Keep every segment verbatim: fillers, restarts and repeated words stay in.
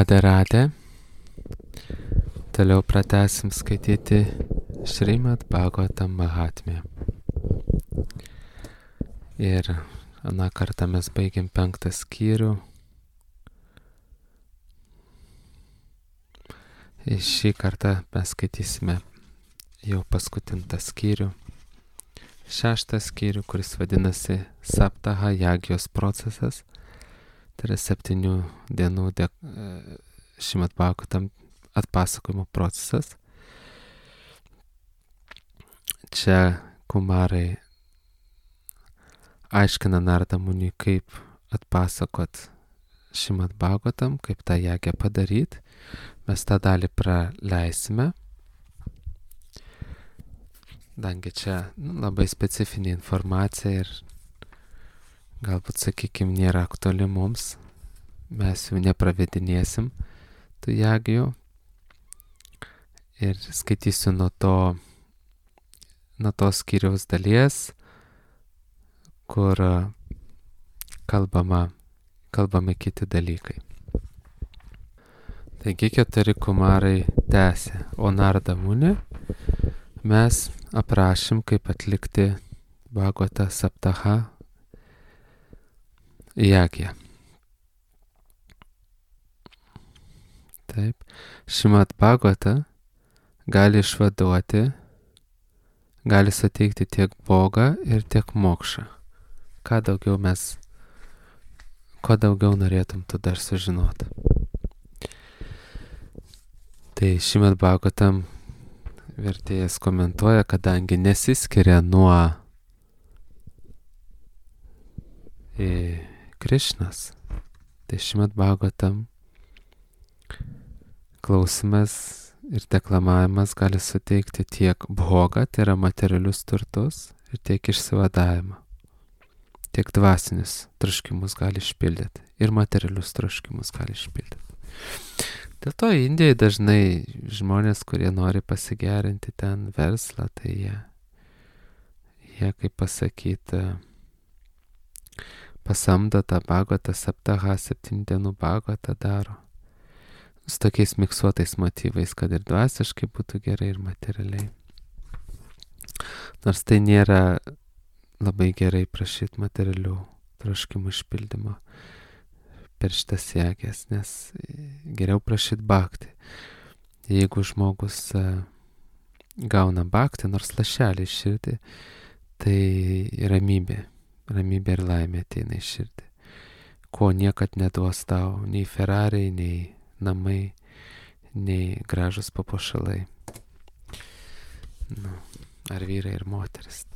Radė radė. Toliau pratęsim skaityti Šrimad Bhagavatam Mahatmę. Ir aną kartą mes baigėm penktą skyrių. Ir šį kartą mes skaitysime jau paskutintą skyrių. Šeštą skyrių, kuris vadinasi Saptaha Jagijos procesas. Tai yra septynių dienų de, Šrimad Bhagavatam atpasakojimo procesas. Čia Kumarai aiškina Narada Muniui, kaip atpasakot Šrimad Bhagavatam, kaip tą jagią padaryti. Mes tą dalį praleisime. Dangi čia nu, labai specifinė informacija ir galbūt, sakykime, nėra aktuali mums. Mes jų nepravedinėsim, tų jagijų. Ir skaitysiu nuo to, nuo tos skyriaus dalies, kur kalbama, kalbame kiti dalykai. Taigi keturi kumarai tęsė, o Narada Muni mes aprašym, kaip atlikti Bhagavata Saptaha Jagiją. Taip, Šrimad Bhagavata gali išvaduoti, gali suteikti tiek bogą ir tiek mokšą. Ką daugiau mes, ko daugiau norėtum tu dar sužinoti. Tai Šrimad Bhagavatam vertėjas komentuoja, kadangi nesiskiria nuo e, Krišnos, tai Šrimad Bhagavatam klausimas ir deklamavimas gali suteikti tiek bhogą, tai yra materialius turtus, ir tiek išsivadavimą. Tiek dvasinius troškimus gali išpildyti ir materialius troškimus gali išpildyti. Dėl to Indijoje dažnai žmonės, kurie nori pasigerinti ten verslą, tai jie, jie kaip pasakyti, pasamdo tą Bhagavatą Saptaha, septynių dienų Bhagavatą daro. Su tokiais miksuotais motyvais, kad ir dvasiškai būtų gerai, ir materialiai. Nors tai nėra labai gerai prašyti materialių troškimų išpildymo per šitas jagės, nes geriau prašyti bhakti. Jeigu žmogus gauna bhakti, nors lašelį iš širdį, tai ramybė, ramybė ir laimė ateina iš širdį. Ko niekad neduos tau, nei Ferrari, nei namai, nei gražus papuošalai. Nu, ar vyrai ir moteris.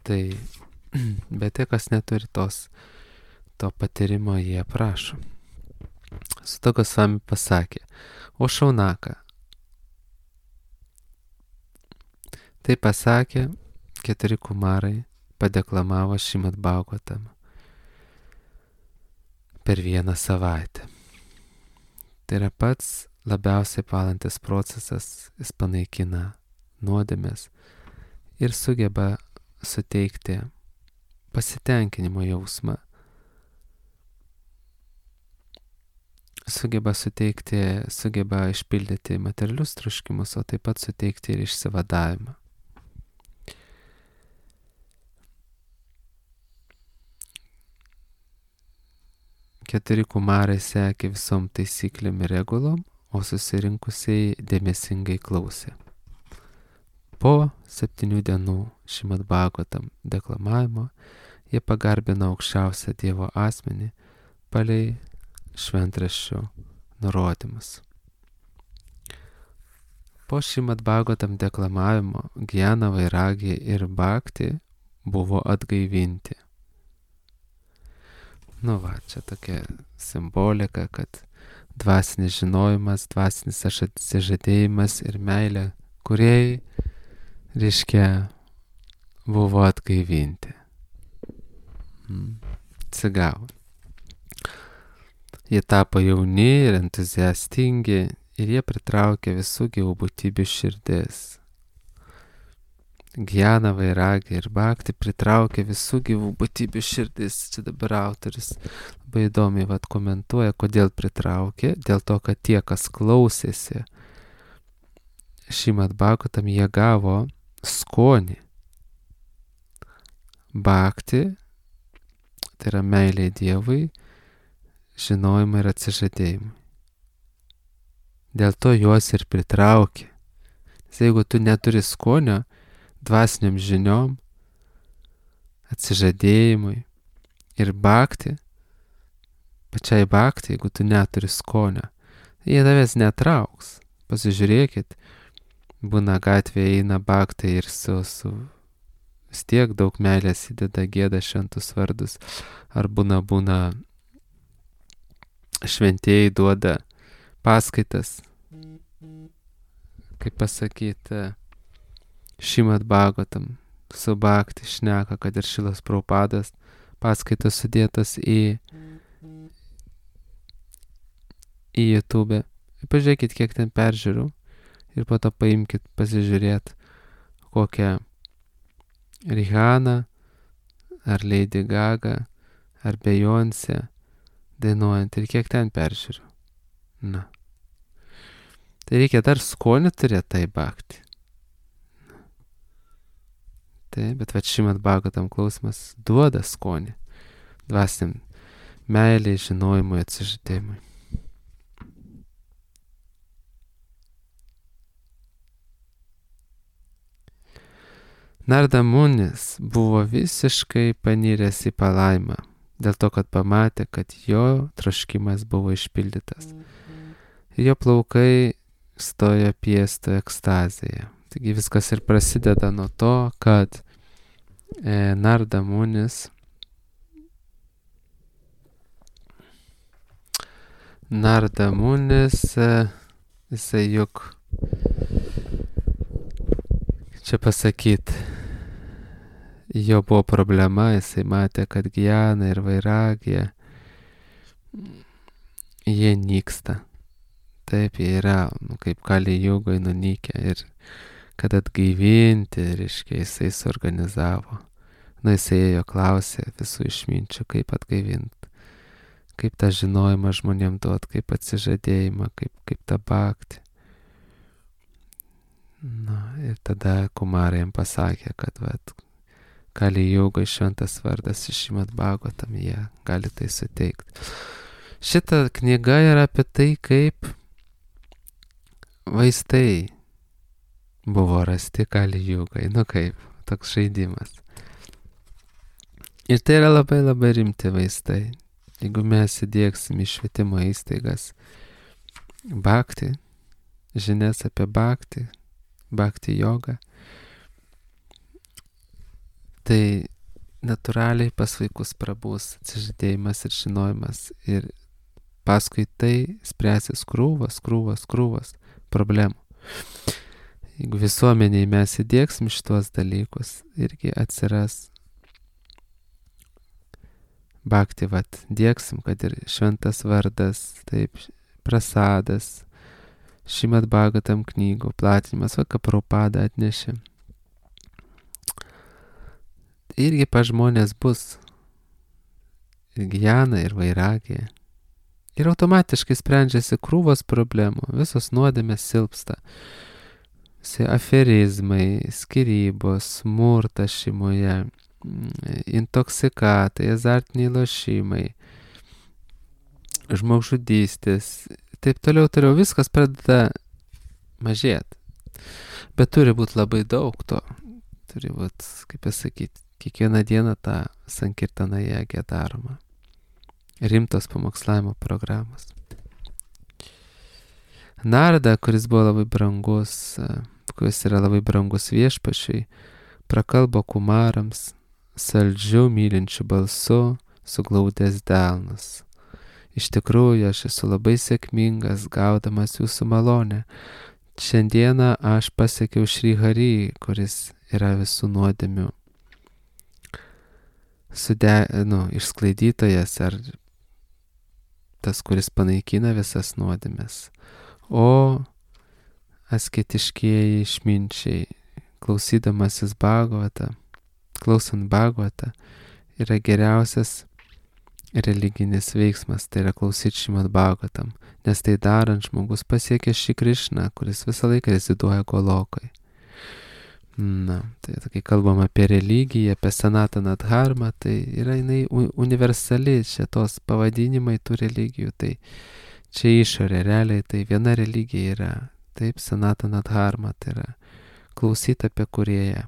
Tai, bet tai, kas neturi tos, to patyrimo, jie prašo. Suta Gosvami pasakė, o Šaunaka. Tai pasakė, keturi kumarai padeklamavo Šrimad Bhagavatam per vieną savaitę. Tai yra pats labiausiai palantis procesas, jis panaikina nuodėmes ir sugeba suteikti pasitenkinimo jausmą, sugeba suteikti, sugeba išpildyti materialius troškimus, o taip pat suteikti ir išsivadavimą. Keturi kumarai sekė visom taisyklėm ir regulom, o susirinkusiai dėmesingai klausė. Po septynių dienų Šrimad Bhagavatam deklamavimo jie pagarbino aukščiausią Dievo asmenį palei šventraščių nurodymus. Po Šrimad Bhagavatam deklamavimo Gyana, Vairagija ir Bhakti buvo atgaivinti. Nu va, čia tokia simbolika, kad dvasinis žinojimas, dvasinis atsižadėjimas ir meilė kūrėjai, reiškia, buvo atgaivinti. Hmm. Atsigavo. Jie tapo jauni ir entuziastingi ir jie pritraukė visų gyvų būtybių širdis. Gyaną, vairagį ir bhakti pritraukia visų gyvų būtybių širdis. Čia dabar autorius labai įdomiai vat, komentuoja, kodėl pritraukė. Dėl to, kad tie, kas klausėsi Šrimad Bhagavatam, jie gavo skonį. Bhakti, tai yra meilė Dievui, žinojimui ir atsižadėjimui. Dėl to juos ir pritraukė. Nes jeigu tu neturi skonio dvasiniam žiniom, atsižadėjimui ir bhakti, pačiai bhakti, jeigu tu neturi skonio, jie tavęs netrauks. Pasižiūrėkit, būna gatvėje eina bhaktai ir su, su vis tiek daug meilės įdeda, gieda šventus vardus, ar būna būna šventieji duoda paskaitas, kaip pasakyti, Šrimad Bhagavatam su bhakti šneka, kad ir Šilas Prabhupadas paskaitos sudėtos į į YouTube. Pažiūrėkit, kiek ten peržiūrų ir po to paimkit pasižiūrėt kokią Rihanna ar Lady Gaga ar Beyoncé dainuojant ir kiek ten peržiūrų. Na. Tai reikia dar skonį turėti tai bhakti. Tai, bet va Šrimad Bhagavatam klausimas duoda skonį dvasiniam meiliai, žinojimui, atsižadėjimui. Narda Munis buvo visiškai paniręs į palaimą, dėl to, kad pamatė, kad jo troškimas buvo išpildytas. Ir jo plaukai stojo piesto ekstazėje. Taigi viskas ir prasideda nuo to, kad e, Narda Munis Narda Munis, e, jisai juk čia pasakyt, jo buvo problema, jisai matė, kad gyana ir vairagija, jie nyksta. Taip, jie yra, nu, kaip Kali Jugoj nunykę ir kad atgaivinti, reiškia, jisai suorganizavo. Nu, jisai ėjo klausė visų išminčių, kaip atgaivinti, kaip tą žinojimą žmonėm duot, kaip atsižadėjimą, kaip, kaip tą bhakti. Na, ir tada Kumarai jam pasakė, kad vat, Kali Jugoj šventas vardas iš Šrimad Bhagavatam, jie gali tai suteikti. Šita knyga yra apie tai, kaip vaistai buvo rasti Kali Jugoj, nu kaip, toks žaidimas. Ir tai yra labai labai rimti vaistai. Jeigu mes įdiegsim į švietimo įstaigas bhakti, žinias apie bhakti, bhakti jogą, tai natūraliai pas vaikus prabus atsižadėjimas ir žinojimas ir paskui tai spręsis krūvas, krūvas, krūvas problemų. Jeigu visuomeniai mes įdiegsim šitos dalykus, irgi atsiras bhakti, vat, diegsim, kad ir šventas vardas, taip, prasadas, Šrimad Bhagavatam knygų platinimas, va, ką Prabhupada atnešė. Irgi pa žmonės bus ir gyana, ir vairagija. Ir automatiškai sprendžiasi krūvos problemų, visos nuodėmės silpsta. Visi aferizmai, skyrybos, smurtas šeimoje, intoksikatai, azartiniai lošimai, žmogžudystės, taip toliau, toliau, viskas pradeda mažėti. Bet turi būti labai daug to. Turi būti, kaip pasakyti, kiekvieną dieną tą sankirtaną jėgę daroma. Rimtos pamokslavimo programos. Narda, kuris buvo labai brangus, kuris yra labai brangus viešpačiui, prakalbo kumarams saldžiu mylinčiu balsu, suglaudęs delnus. Iš tikrųjų, aš esu labai sėkmingas, gaudamas jūsų malonę. Šiandieną aš pasiekiau Šri Hari, kuris yra visų nuodėmių sude, nu, išsklaidytojas ar tas, kuris panaikina visas nuodėmes. O asketiškieji išminčiai klausydamasis Bhagavatą, klausant Bhagavatą, yra geriausias religinis veiksmas, tai yra klausyti Šrimad Bhagavatam, nes tai darant žmogus pasiekia šį Krišną, kuris visą laiką reziduoja Golokai. Na, tai kai kalbam apie religiją, apie Sanataną Dharmą, tai yra jinai universali, čia tos pavadinimai tų religijų, tai čia išorė, realiai tai viena religija yra, taip, Sanatana Dharma, tai yra klausyti apie Kūrėją,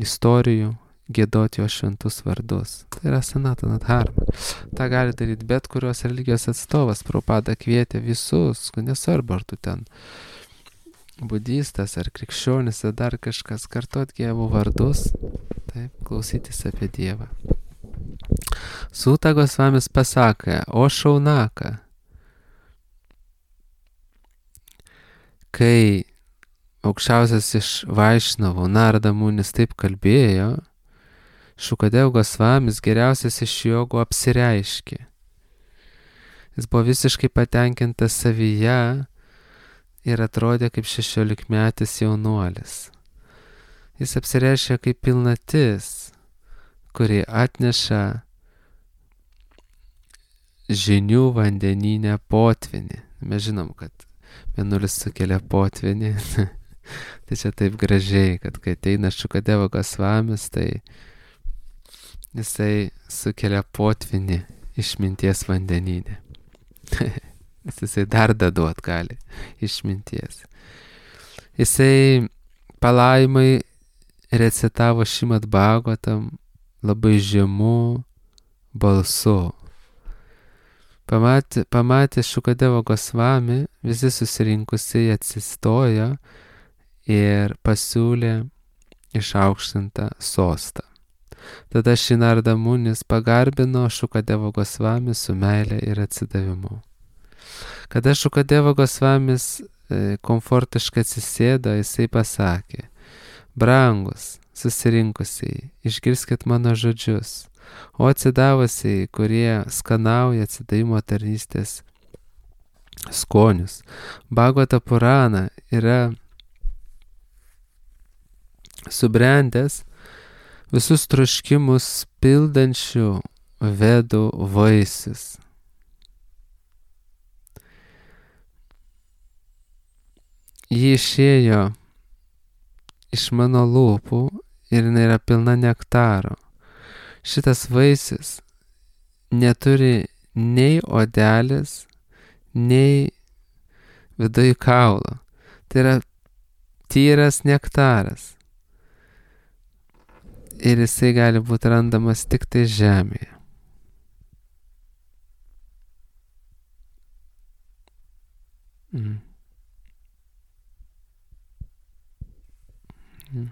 istorijų, giedoti jo šventus vardus. Tai yra Sanatana Dharma. Ta gali daryti bet kurios religijos atstovas. Prabhupada kvietė visus, nesvarbu, ar tu ten budistas, ar krikščionis, ar dar kažkas, kartot Dievo vardus, taip, klausytis apie Dievą. Suta Gosvamis pasakė, o Šaunaka, kai aukščiausias iš Vaišnavų Narada Munis taip kalbėjo, Šukadev Gosvamis geriausias iš jogų apsireiškė. Jis buvo visiškai patenkintas savyje ir atrodė kaip šešiolikmetis jaunuolis. Jis apsireiškė kaip pilnatis, kuri atneša žinių vandeninę potvinį. Mes žinom, kad mėnulis sukelia potvinį. Tai čia taip gražiai, kad kai ateina Šukadevo Gosvamis, tai jisai sukelia potvinį išminties vandeninę. Jisai dar daduot gali išminties. Jisai palaimai recitavo Šrimad Bhagavatam labai žemu balsu. Pamatė, pamatė Šukadevo Gosvami, visi susirinkusiai atsistojo ir pasiūlė išaukštintą sostą. Tada šį Narada Munis pagarbino Šukadevo Gosvami su meile ir atsidavimu. Kada Šukadevo Gosvamis e, komfortiškai atsisėdo, jisai pasakė, brangus, susirinkusiai, išgirskit mano žodžius, o atsidavusiai, kurie skanauja atsidavimo tarnystės skonius. Bhagavata Purana yra subrendęs visus troškimus pildančių vedų vaisius. Ji išėjo iš mano lūpų ir jinai yra pilna nektaro. Šitas vaisius neturi nei odelės, nei viduj kaulo. Tai yra tyras nektaras. Ir jisai gali būti randamas tik tai žemėje. Mm. Mm.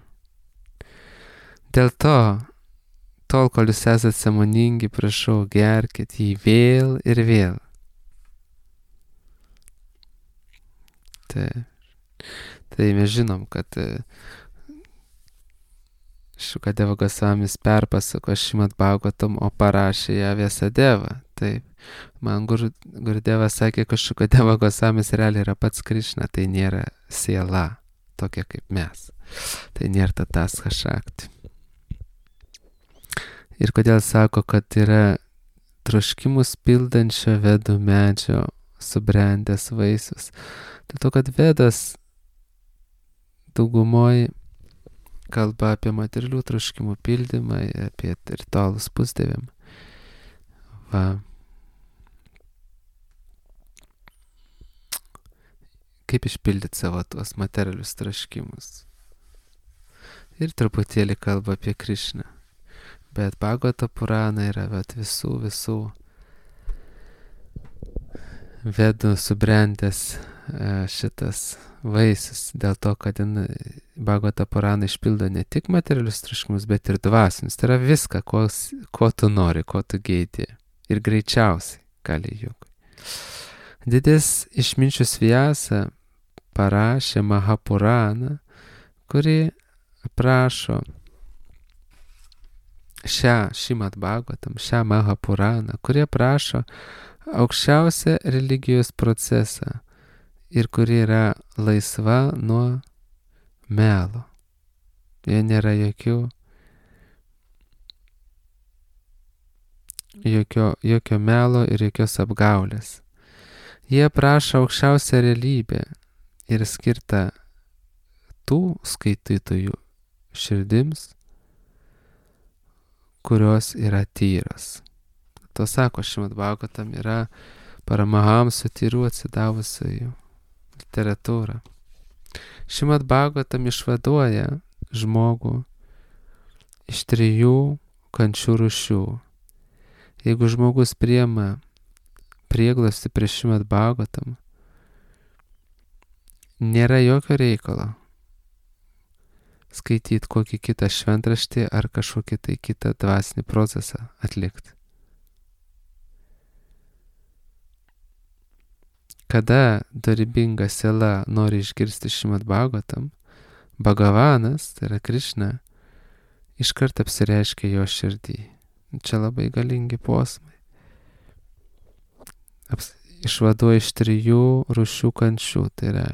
Dėl to, tol, kol jūs esate sąmoningi, prašau, gerkit jį vėl ir vėl. Tai, tai mes žinom, kad Šukadeva Gosvamis perpasako Šrimad Bhagavatam, o parašė ją Vyasadeva. Taip, man Gur, Gurudevas sakė, kad Šukadeva Gosvamis realiai yra pats Krišna, tai nėra siela, tokia kaip mes. Tai nėra Tathastha Shakti. Ir kodėl sako, kad yra troškimus pildančio vedų medžio subrendęs vaisius. Dėl to, kad vedas daugumoj kalba apie materialių troškimų pildymą, apie ritualus pusdieviam. Va. Kaip išpildyti savo tuos materialius troškimus. Ir truputėlį kalba apie Krišną. Bet Bhagavata Purana yra vat, visų, visų vedų subrendęs šitas vaisius, dėl to, kad Bhagavata Purana išpildo ne tik materialius troškimus, bet ir dvasinius. Tai yra viską, ko, ko tu nori, ko tu geidi. Ir greičiausiai, Kali Jugui. Didis išminčius Vyasa parašė Mahapuraną, kuri aprašo šią Šrimad Bhagavatam, šią Mahapuraną, kuri aprašo aukščiausią religijos procesą ir kuri yra laisva nuo melo. Jie nėra jokių, jokio, jokio melo ir jokios apgaulės. Jie prašo aukščiausią realybę ir skirtą tų skaitytojų širdims, kurios yra tyros. To sako Šrimad Bhagavatam yra Paramahamsų tyrų atsidavusiųjų literatūra. Šrimad Bhagavatam išvaduoja žmogų iš trijų kančių rūšių. Jeigu žmogus priema prieglobstį prie Šrimad Bhagavatam, nėra jokio reikalo skaityti kokį kitą šventraštį ar kažkokį tai kitą dvasinį procesą atlikti. Kada dorybinga siela nori išgirsti Šrimad Bhagavatam, Bhagavanas, tai yra Krišna, iškart apsireiškia jo širdį. Čia labai galingi posmai. Aps, išvaduoja iš trijų rūšių kančių. Tai yra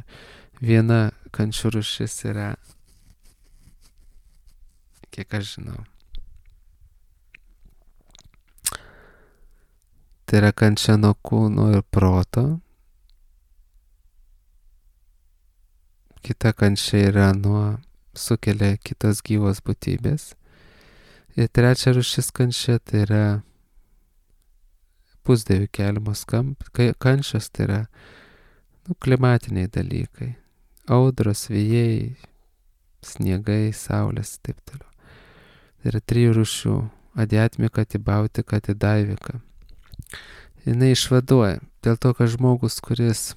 viena kančių rūšis yra, kiek aš žinau, tai yra kančia nuo kūno ir proto. Kita kančia yra nuo sukelia kitos gyvos būtybės. Ir trečia rūšis kančia tai yra pusdievių keliamos kančios, tai yra nu, klimatiniai dalykai. Audros, vėjai, sniegai, saulės ir taip toliau. Tai yra trijų rūšių - adjatmika, tibautika, tidaivika. Jinai išvaduoja dėl to, kad žmogus, kuris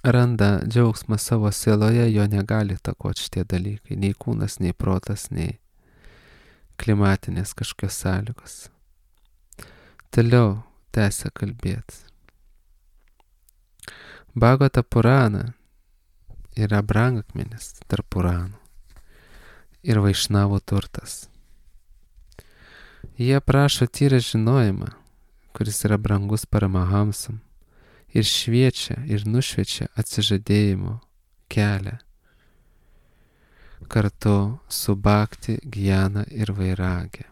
randa džiaugsmą savo sieloje, jo negali takoti šitie dalykai. Nei kūnas, nei protas, nei klimatinės kažkokios sąlygos. Toliau tęsia kalbėti. Bhagavata Purana yra brangakmenis tarp Puranų ir Vaišnavų turtas. Jie prašo tyrą žinojimą, kuris yra brangus Paramahamsam, ir šviečia ir nušviečia atsižadėjimo kelią kartu su bhakti, gyana ir vairagė.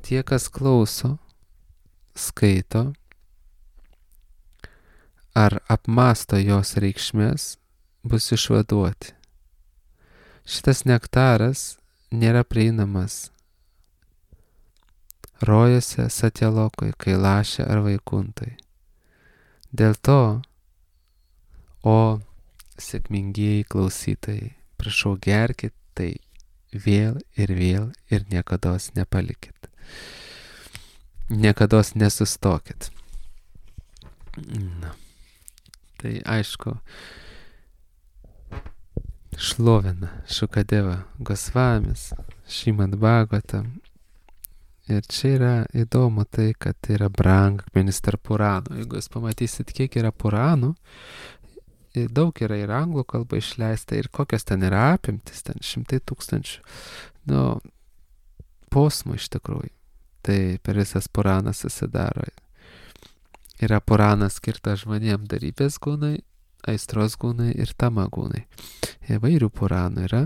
Tie, kas klauso, skaito ar apmasto jos reikšmės, bus išvaduoti. Šitas nektaras nėra prieinamas rojose, Satjalokoje, Kailaše ar Vaikuntai. Dėl to, o sėkmingieji klausytojai, prašau gerkit tai vėl ir vėl ir niekados nepalikit. Niekados nesustokit. Na. Tai aišku, šlovina Šukadeva Gosvamis, Šrimad Bhagavatam. Ir čia yra įdomu tai, kad tai yra brangakmenis tarp Puranų. Jeigu jūs pamatysit, kiek yra Puranų, daug yra ir anglų kalba išleista, ir kokios ten yra apimtis, ten šimtai tūkstančių, nu, posmų iš tikrųjų. Tai per visas Puranas susidaro. Yra Puranas skirtas žmonėm darybės gūnai, aistros gūnai ir tama gūnai. Įvairių Puranų yra.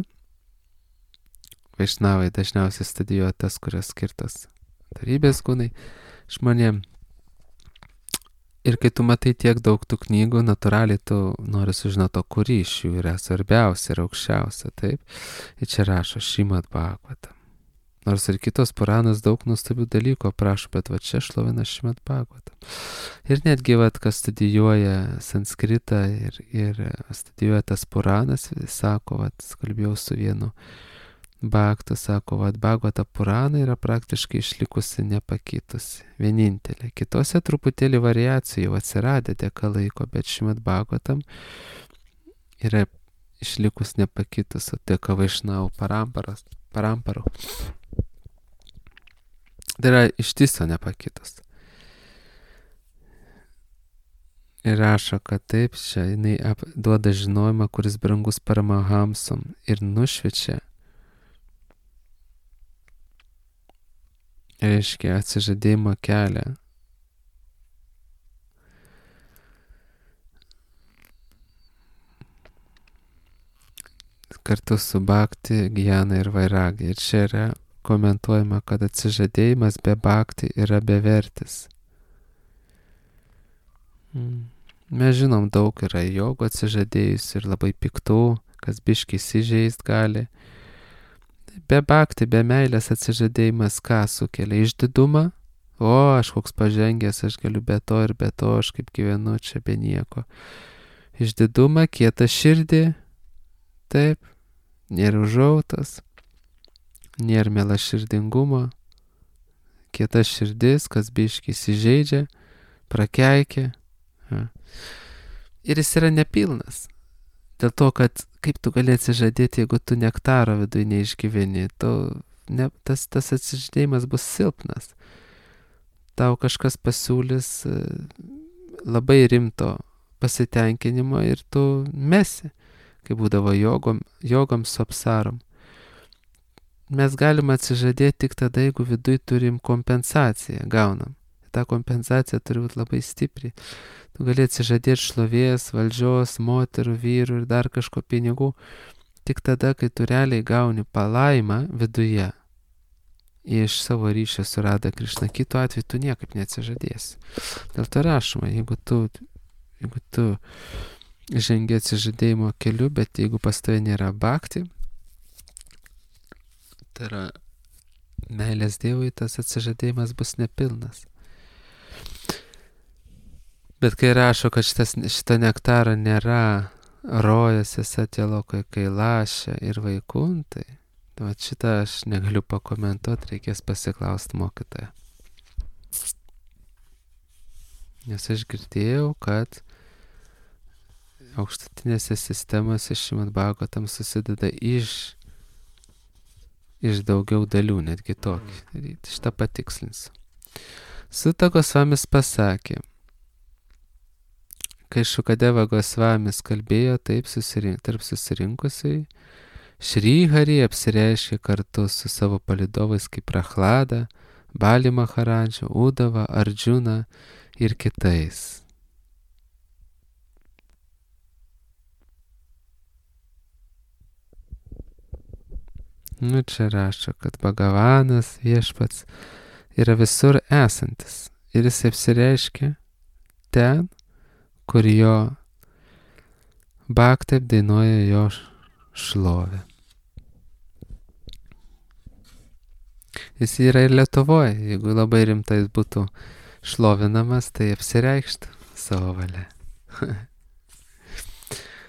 Vaišnavai dažniausiai studijuoja tas, kurios skirtos darybės gūnai žmonėm. Ir kai tu matai tiek daug tų knygų, natūraliai tu nori sužinoti, kuri iš jų yra svarbiausia ir aukščiausia, taip? Ir čia rašo Šrimad Bhagavatam. Nors ir kitos Puranos daug nuostabių dalykų aprašo, bet va čia šlovina Šrimad Bhagavatam. Ir netgi, va, kas studijuoja sanskritą ir, ir studijuoja tas Puranas, sako, va, kalbėjau su vienu Bhaktu, sako, va, Bhagavata Purana yra praktiškai išlikusi nepakitusi, vienintelė. Kitose truputėlį variacijų atsiradė dėka laiko, bet Šrimad Bhagavatam yra išlikus nepakitus, o dėka Vaišnavų paramparos, paramparų. Tai yra ištiso nepakitus. Ir rašo, kad taip, čia jinai duoda žinojimą, kuris brangus Paramahamsam ir nušviečia, reiškia atsižadėjimo kelią. kartu su bhakti, gyana ir vairagi. Ir čia yra komentuojama, kad atsižadėjimas be bhakti yra bevertis. Mm. Mes žinom, daug yra jogų atsižadėjus ir labai piktų, kas biškį įsižeist gali. Be bhakti, be meilės atsižadėjimas ką sukelia? Išdidumą? O, aš koks pažengęs, aš galiu be to ir be to, aš kaip gyvenu čia be nieko. Išdidumą, kietą širdį, taip, nėra užuojautos, nėra mielaširdingumo, kieta širdis, kas biškį įsižeidžia, prakeikia. Ja. Ir jis yra nepilnas. Dėl to, kad kaip tu gali atsižadėti, jeigu tu nektaro viduje neišgyveni, tu, ne, tas, tas atsižadėjimas bus silpnas. Tau kažkas pasiūlys labai rimto pasitenkinimo ir tu mesi, kaip būdavo jogom, jogom su apsarom. Mes galime atsižadėti tik tada, jeigu viduje turim kompensaciją, gaunam. Ta kompensacija turi būti labai stipri. Tu gali atsižadėti šlovės, valdžios, moterų, vyrų ir dar kažko pinigų tik tada, kai tu realiai gauni palaimą viduje iš savo ryšio su Radha Krišna. Kitu atveju tu niekaip neatsižadėsi. Dėl to rašoma, jeigu tu, jeigu tu žengi atsižadėjimo keliu, bet jeigu pas tave nėra bhakti, tai yra meilės Dievui, tas atsižadėjimas bus nepilnas. Bet kai rašo, kad šitas, šito nektaro nėra rojuose, Satjalokoje, Kailaše ir Vaikuntai, tai šitą aš negaliu pakomentuoti, reikės pasiklausti mokytoją. Nes aš girdėjau, kad aukštutinėse sistemose Šrimad Bhagavatam susideda iš, iš daugiau dalių, netgi tokį. Šitą patikslinsiu. Suta Gosvamis pasakė, kai Šukadeva Gosvamis kalbėjo taip susirink, tarp susirinkusiai, Šri Hari apsireiškė kartu su savo palidovais kaip Prachlada, Bali Maharadža, Udava, Arjuna ir kitais. Nu čia rašo, kad Bhagavanas viešpats yra visur esantis ir jis apsireiškia ten, kur jo bhakti apdainuoja jo šlovę. Jis yra ir Lietuvoje, jeigu labai rimtai būtų šlovinamas, tai apsireikštų savo valia.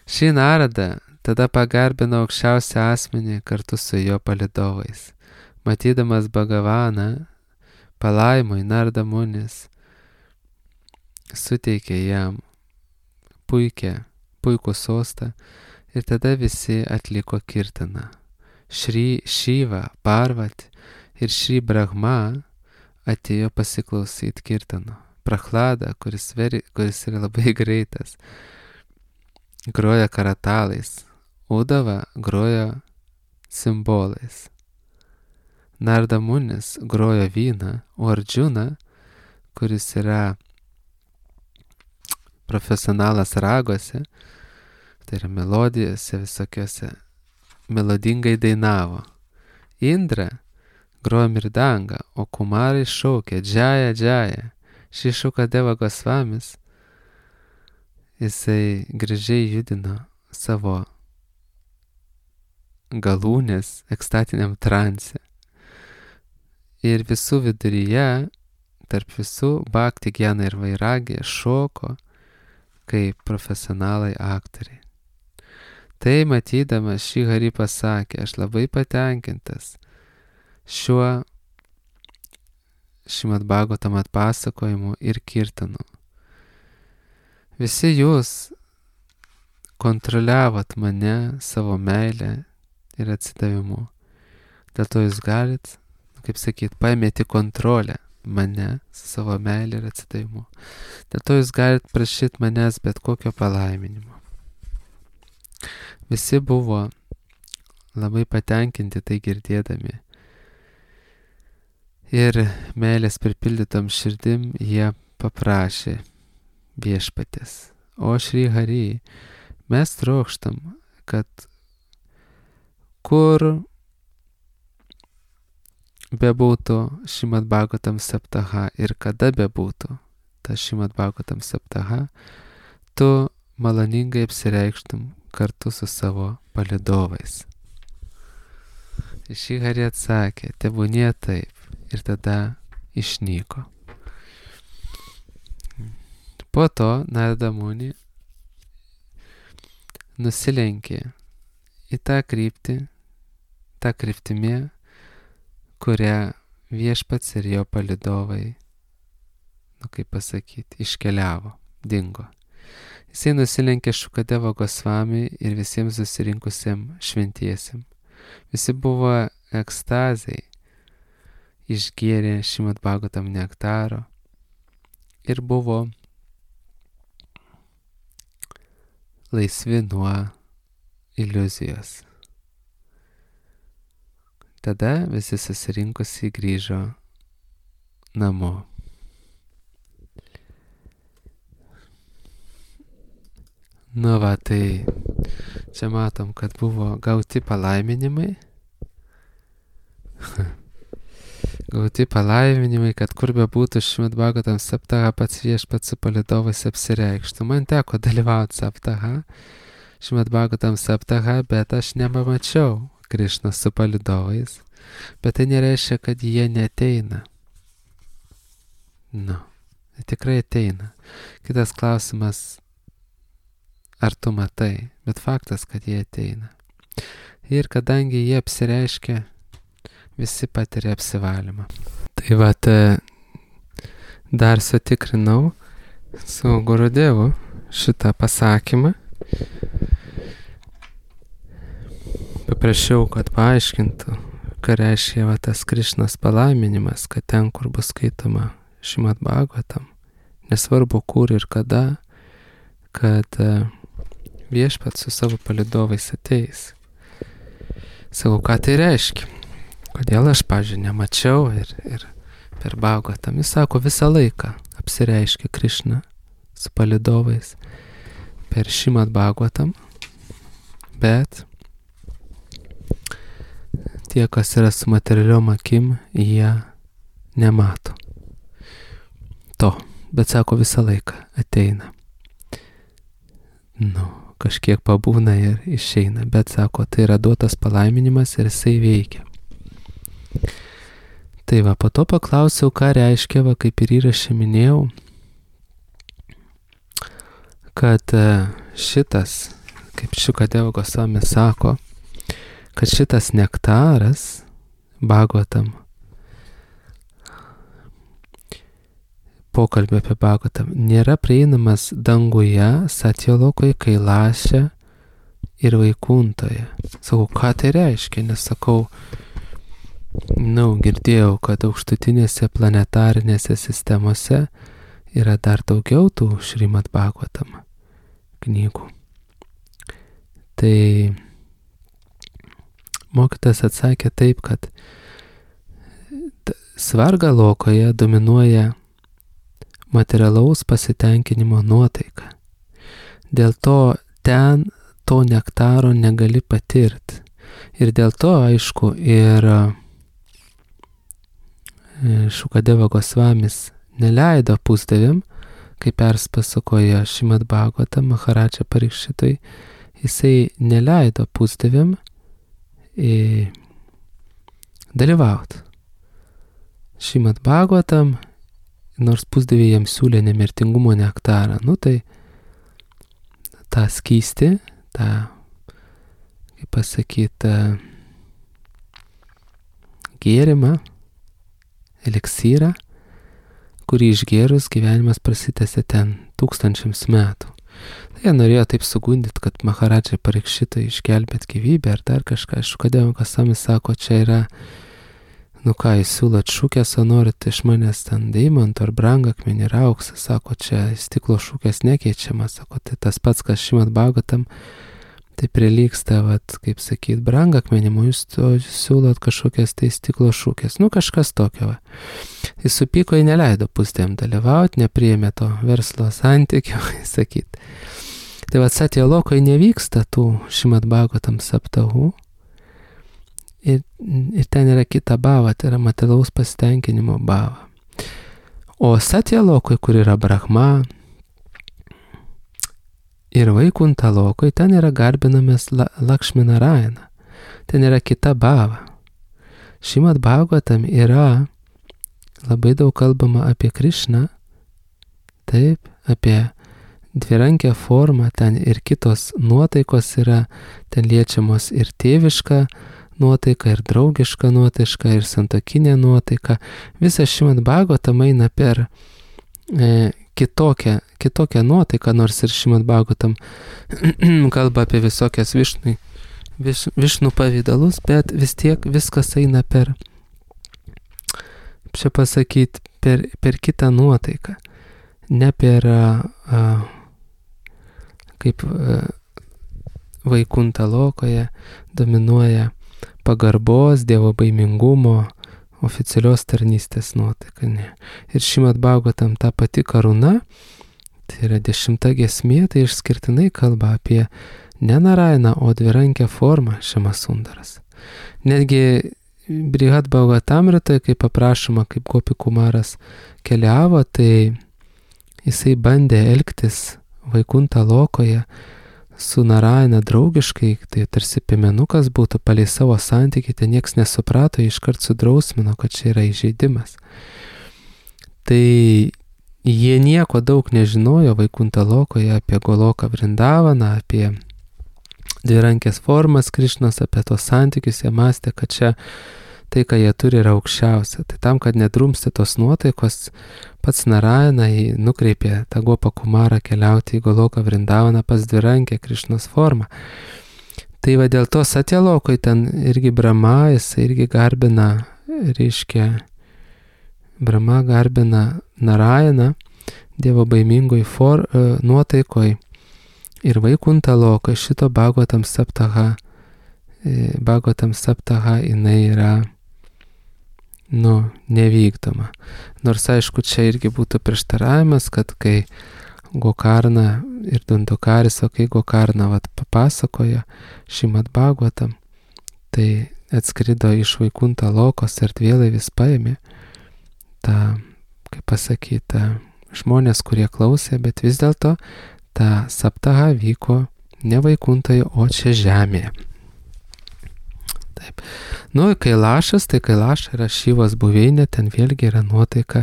Šį Narada tada pagarbino aukščiausią asmenį kartu su jo palidovais. Matydamas Bhagavaną, palaimoj Narada Munis suteikė jam puikia, puikų sostą ir tada visi atliko kirtaną. Šri Šiva, Parvati ir Šri Brahma atėjo pasiklausyti kirtano. Prachlada, kuris, veri, kuris yra labai greitas, groja karatalais. Udava groja simbolais. Narada Munis groja vyną, o Arjuna, kuris yra profesionalas ragose, tai yra melodijose visokiose, melodingai dainavo. Indra grojo mirdangą, o kumarai šaukė džaja, džaja. Šį Šukadeva Gosvamis, jisai gražiai judino savo galūnės ekstatiniam transe. Ir visų viduryje, tarp visų bhakti, gyana ir vairagi šoko kaip profesionalai aktoriai. Tai matydamas Šri Hari pasakė, aš labai patenkintas šiuo Šrimad Bhagavatam atpasakojimu ir kirtanu. Visi jūs kontroliavot mane savo meilę ir atsidavimu. Dėl to jūs galit, kaip sakyt, paimėti kontrolę mane su savo meilė ir atsidavimu. Dėl to jūs galite prašyti manęs bet kokio palaiminimo. Visi buvo labai patenkinti tai girdėdami. Ir meilės pripildytom širdim jie paprašė viešpatės. O Šri Hari, mes trokštam, kad kur bebūtų Šrimad Bhagavatam Saptaha ir kada bebūtų ta Šrimad Bhagavatam Saptaha, tu maloningai apsireikštum kartu su savo palydovais. Šri Hari atsakė, tebūnie taip, ir tada išnyko. Po to Narada Muni nusilenkė į tą kryptį, tą kryptimį, kurią viešpats ir jo palydovai, nu kaip pasakyti, iškeliavo, dingo. Jisai nusilenkė Šukadevo Gosvami ir visiems susirinkusiem šventiesiem. Visi buvo ekstazai, išgėrė Šrimad Bhagavatam nektaro ir buvo laisvi nuo iliuzijos. Tada visi susirinkusi grįžo namo. Nu va, tai čia matom, kad buvo gauti palaiminimai. Gauti palaiminimai, kad kur bebūtų Šrimad Bhagavatam Saptaha, pats viešpats su palydovais apsireikštų. Man teko dalyvauti Saptaha, Šrimad Bhagavatam Saptaha, bet aš nepamačiau Krišną su palydovais. Bet tai nereiškia, kad jie neteina. Nu, tikrai ateina. Kitas klausimas, ar tu matai, bet faktas, kad jie ateina. Ir kadangi jie apsireiškia, visi patiria apsivalymą. Tai vat, dar sutikrinau su Gurudevu šitą pasakymą. Paprašiau, kad paaiškintų, ką reiškia va, tas Krišnos palaiminimas, kad ten, kur bus skaitoma Šrimad Bhagavatam, nesvarbu kur ir kada, kad viešpats su savo palydovais ateis. Sakau, ką tai reiškia? Kodėl aš, pavyzdžiui, nemačiau ir, ir per Bhagavatam. Jis sako, visą laiką apsireiškia Krišna su palydovais per Šrimad Bhagavatam, bet tie, kas yra su materialiom akim, jie nemato to. Bet sako, visą laiką ateina. Nu, kažkiek pabūna ir išeina, bet sako, tai yra duotas palaiminimas ir jisai veikia. Tai va, po to paklausiau, ką reiškia, va, kaip ir įrašė minėjau, kad šitas, kaip Šukadeva Gosvami sako, kad šitas nektaras Bhagavatam, pokalbė apie Bhagavatam, nėra prieinamas danguje, Satyalokoje, Kailashe ir Vaikuntoje. Sakau, ką tai reiškia? Nes sakau, nu, girdėjau, kad aukštutinėse planetarinėse sistemose yra dar daugiau tų Šrimad Bhagavatam knygų. Tai mokytas atsakė taip, kad Svarga Lokoje dominuoja materialaus pasitenkinimo nuotaika. Dėl to ten to nektaro negali patirti. Ir dėl to, aišku, ir Šukadeva Gosvamis neleido pusdieviam, kaip perspasakoja Šrimad Bhagavatam Maharaja Parikšitui, jisai neleido pusdieviam dalyvauti Šrimad Bhagavatam, nors pusdieviai jam siūlė nemirtingumo nektarą. Nu tai tą skystį, tą, kaip pasakyti, gėrimą, eliksyrą, kurį išgėrus gyvenimas prasitęsė ten tūkstančiams metų. Tai jie norėjo taip sugundyti, kad Maharaja Parikšitui išgelbėt gyvybę ar dar kažką. Šukadeva Gosvami sako, čia yra, nu ką, jūs siūlot šukės, o norit iš manęs ten deimantų ar brangakmenį ir auksą. Sako, čia stiklo šukės nekeičiamas. Sako, tai tas pats, kas Šrimad Bhagavatam, tai prilygsta, vat, kaip sakyt, brangakmenim, o jūs siūlot kažkokias tai stiklo šukės. Nu, kažkas tokio. Va. Jis supyko, jį neleido pusdieviam dalyvauti, nepriėmė to verslo santykio, sakyt. Tai va, Satyalokoje nevyksta tų Šrimad Bhagavatam saptahų, ir, ir ten yra kita bhava, tai yra materialaus pasitenkinimo bhava. O satyalokui, kur yra Brahma, ir Vaikunta lokui, ten yra garbinamas Lakšmi Narayana. Ten yra kita bhava. Šrimad Bhagavatam yra labai daug kalbama apie Krišną, taip, apie dvirankę formą, ten ir kitos nuotaikos yra, ten liečiamos ir tėviška nuotaika, ir draugiška nuotaika, ir santuokinė nuotaika. Visas Šrimad Bhagavatam eina per e, kitokią, kitokią nuotaiką, nors ir Šrimad Bhagavatam kalba apie visokias višnui, viš, višnų pavydalus, bet vis tiek viskas eina per, čia pasakyti, per, per kitą nuotaiką. Ne per, a, kaip a, Vaikunta lokoje dominuoja pagarbos, dievo baimingumo, oficialios tarnystės nuotaika. Ne. Ir Šrimad Bhagavatam ta pati karūna, tai yra dešimta giesmė, tai išskirtinai kalba apie ne Narayaną, o dvirankę formą Šiamasundaras. Netgi Brihad Bhagavatamritoje, kaip aprašoma, kaip Gopi Kumaras keliavo, tai jisai bandė elgtis Vaikunta lokoje su Narayana draugiškai, tai tarsi piemenukas būtų palei savo santykį, tai nieks nesuprato, iškart sudrausmino, kad čia yra įžeidimas. Tai jie nieko daug nežinojo Vaikunta lokoje apie Goloką Vrindavaną, apie dvirankės formas Krišnos, apie tos santykius, jie mąstė, kad čia tai, ką jie turi, yra aukščiausia. Tai tam, kad nedrumsti tos nuotaikos, pats Narayana nukreipė tą Gopą Kumarą keliauti į Goloką Vrindavaną pas dvirankę Krišnos formą. Tai va dėl to Satyalokoj ten irgi Brahma, jis irgi garbina, reiškia, Brahma garbina Narayaną, dievo baimingoj for, nuotaikoj. Ir Vaikunta lokoj šito Bhagavatam Saptaha, Bhagavatam Saptaha jinai yra, nu, nevykdoma. Nors aišku, čia irgi būtų prieštaravimas, kad kai Gokarna ir Dundukaris, o kai Gokarna vat papasakoja Šrimad Bhagavatam, tai atskrido iš Vaikunta lokos ir erdvėlaivis paėmė tą, kaip pasakyta, žmonės, kurie klausė, bet vis dėlto ta Saptaha vyko ne Vaikuntoje, o čia žemėje. Taip. Nu, Kailašas, tai Kailaša yra Šivos buveinė, ten vėlgi yra nuotaika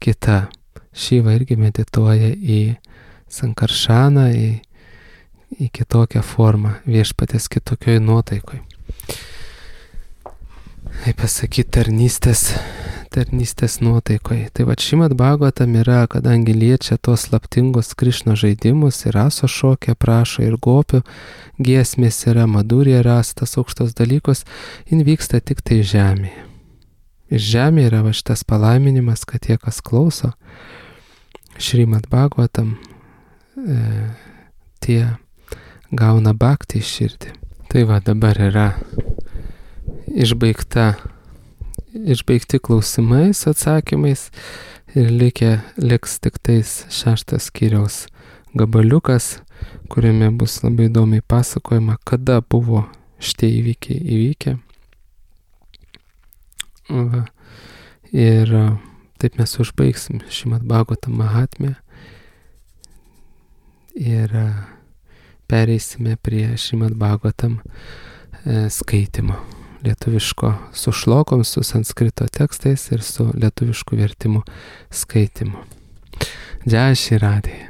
kita. Šiva irgi medituoja į Sankaršaną, į, į kitokią formą, viešpatės kitokioj nuotaikoj. Kaip pasakyti, tarnystės, tarnystės nuotaikoj. Tai va Šrimad Bhagavatam yra, kadangi liečia tos slaptingos Krišno žaidimus, ir raso šokė prašo, ir gopių giesmės yra, madurė rastas aukštos dalykus, jin vyksta tik tai žemėje. Ir žemėje yra va šitas palaiminimas, kad tie, kas klauso Šrimad Bhagavatam, e, tie gauna bhaktį į širdį. Tai va dabar yra išbaigta, išbaigti klausimai su atsakymais ir likę, liks tik tais šeštas skyriaus gabaliukas, kuriame bus labai įdomiai pasakojama, kada buvo šitie įvykiai įvykę. Va. Ir taip mes užbaigsim Šrimad Bhagavatam Mahatmę ir pereisime prie Šrimad Bhagavatam skaitimo. Lietuviško su šlokom, su sanskrito tekstais ir su lietuvišku vertimu skaitimu. Džai Šri Radhe.